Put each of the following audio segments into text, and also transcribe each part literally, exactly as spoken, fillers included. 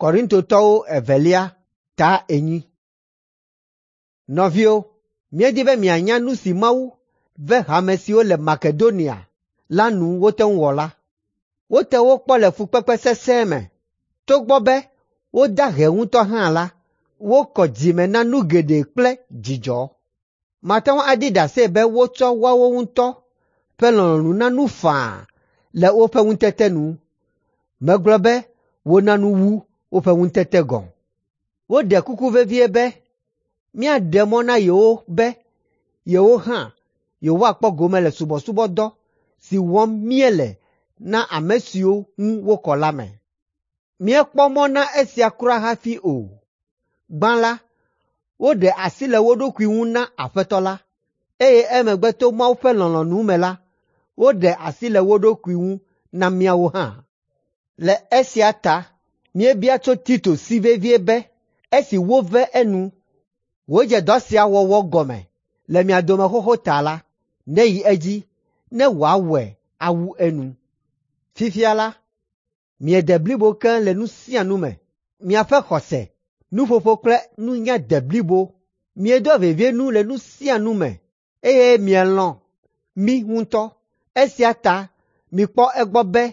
Korintotɔwo evelia ta enyi. Nɔviwo, míedi be mianya nu si Mawu ve hame siwo le Makedonia la nu wote ŋu wɔ la. Wote wo kpɔ le fukpekpe sesẽ me. Togbɔ be woda ahe ŋutɔ hã la, wokɔ dzime na nu geɖe kple dzidzɔ. Mate ŋu aɖi ɖase be wotsɔ woawo ŋutɔ ƒe lɔlɔ̃nu na nu faa le woƒe ŋutete nu. Megblɔ be wona nu wu woƒe ŋutete gɔ̃. Woɖe kuku vevie be míaɖe mɔ na yewo be yewo hã yewoakpɔ gome le subɔsubɔdɔ si wɔm míele na ame siwo ŋu wokɔ la me. Míekpɔ mɔ na esia kura hafi o. Gbã la, woɖe asi le wo ɖokui ŋu na Aƒetɔ la, eye emegbe to Mawu ƒe lɔlɔ̃nu me la, woɖe asi le wo ɖokui ŋu na míawo hã. Le esia ta míebia tso Tito si vevie be esi wove enu, wòdze dɔ sia wɔwɔ gɔme le mia dome xoxo ta la, neyi edzi ne wòawɔe awu enu. Fifia la, miede blibo keŋ le nu sia nu me. Miaƒe xɔse, nuƒoƒo kple nunya de blibo. Miedoa vevie nu le nu sia nu me eye mielɔ̃ mí ŋutɔ. Esia ta mikpɔ egbɔ be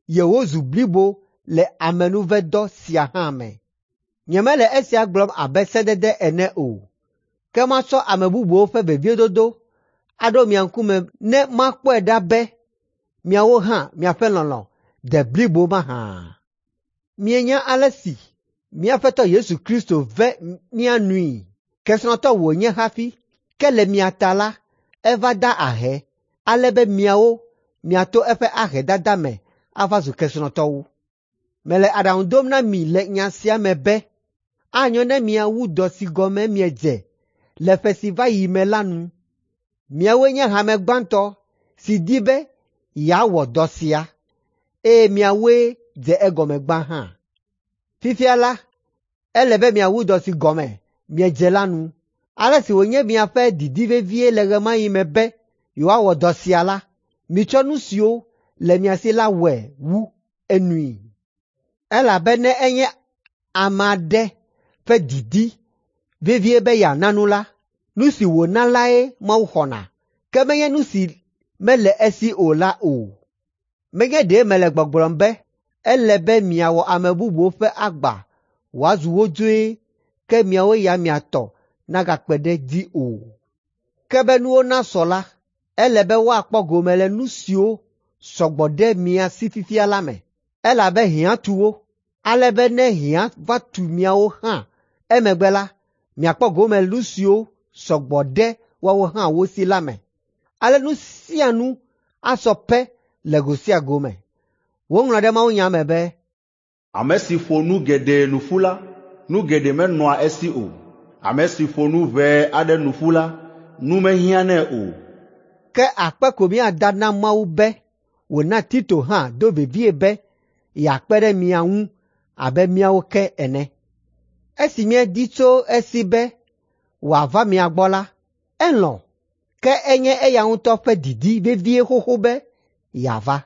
yewozu blibo le amenuvedɔ sia hã me. Nyemele esia gblɔm abe sedede ene o, ke matsɔ ame bubuwo ƒe veviedodo aɖo mia ŋkume ne makpɔe ɖa be miawo hã miaƒe lɔlɔ̃ de blibo mahã. Mienya ale si mía Aƒetɔ Yesu Kristo ve mía nui. Kesinɔtɔ wònye hafi, ke le mia ta la, eva da ahe, ale be miawo miato eƒe ahedada me ava zu kesinɔtɔwo. Mele aɖaŋu ɖom na mi le nya sia me be anyo ne miawu dɔ si gɔme miedze le ƒe si va yi me la nu. Miawoe nye hame gbãtɔ si di be yeawɔ dɔ sia, eye miawoe dze egɔme gbã hã. Fifia la, ele be miawu dɔ si gɔme miedze la nu. Ale si wònye miaƒe didi vevie le ɣe ma ɣi me be yewoawɔ dɔ sia la, mitsɔ nu siwo le mia si la wɔe wu enui. Elabe ne enye ame aɖe ƒe didi vevie be yeana nu la, nu si wòna lae Mawu xɔna, ke menye nu si mele esi o la o. Menye ɖe mele gbɔgblɔm be ele be miawɔ ame bubuwo ƒe agba wòazu wodzoe ke miawo ya mia tɔ nagakpe ɖe edzi o. Ke be nuwo nasɔ la, ele be woakpɔ gome le nu siwo sɔ gbɔ ɖe mia si fifia la me, elabe hiã tu wo, ale be ne hiã va tu miawo hã emegbe la, miakpɔ gome le nu siwo sɔ gbɔ ɖe woawo hã wo si la me. Ale nu sia nu asɔ pɛ le go sia go me. Woŋlɔ ɖe mawunya me be, Ame si ƒo nu geɖe nu ƒu la, nu geɖe menɔa esi o. Ame si ƒo nu ʋɛ aɖe nu ƒu la, nu mehiãnɛ o. Ke akpe ko míada na Mawu be wòna Tito hã do vevie be yeakpe ɖe mia ŋu abe míawo ke ene. Esi míedi tso esi be wòava mia gbɔ la, elɔ̃, ke enye eya ŋutɔ ƒe didi vevie xoxo be yeava.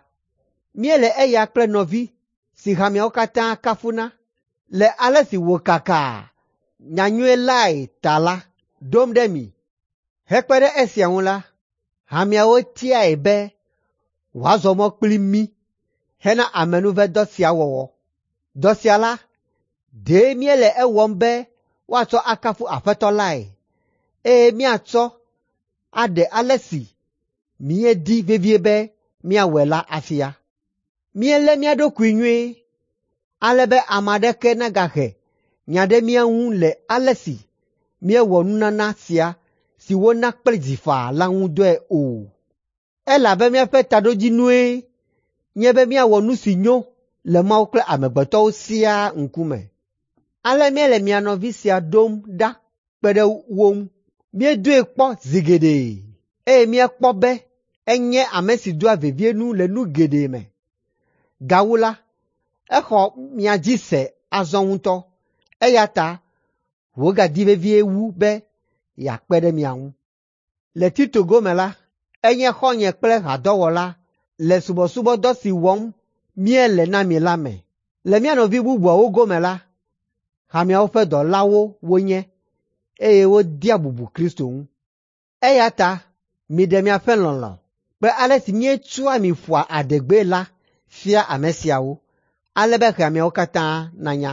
Míele eya kple nɔvi si hameawo katã kafuna le ale si wòkaka nyanyui lae ta la ɖom ɖe mi. Hekpe ɖe esia ŋu la, hameawo tiae be wòazɔ mɔ kpli mí hena amenuvedɔ sia wɔwɔ. Dɔ sia la, ɖe míele ewɔm be woatsɔ akafu Aƒetɔ lae, eye míatsɔ aɖe ale si míedi vevie be míawɔe la afia. Míelé mía ɖokui nyuie, ale be ame aɖeke nagahe nya ɖe mía ŋu le ale si míewɔ nunana sia si wona kple dzi faa la ŋu dɔe o. Elabe míaƒe taɖodzinue nye be míawɔ nu si nyo le Mawu kple amegbetɔwo siaa ŋkume. Ale míele mia nɔvi sia ɖom ɖa kpe ɖe wo ŋu. Míedoe kpɔ zi geɖe eye míekpɔ be enye ame si doa vevie nu le nu geɖe me. Gawu la, exɔ mia dzi se azɔ ŋutɔ, eya ta wògadi vevie wu be yeakpe ɖe mia ŋu. Le Tito gome la, enye xɔ̃nye kple hadɔwɔla le subɔsubɔdɔ si wɔm míele na mi la me. Le mía nɔvi bubuawo gome la, hameawo ƒe dɔlawo wonye, eye wodea bubu Kristo ŋu. Eya ta miɖe miaƒe lɔlɔ̃ kple ale si míetsɔa mi ƒoa adegbee la fia ame siawo, ale be hameawo katã nanya.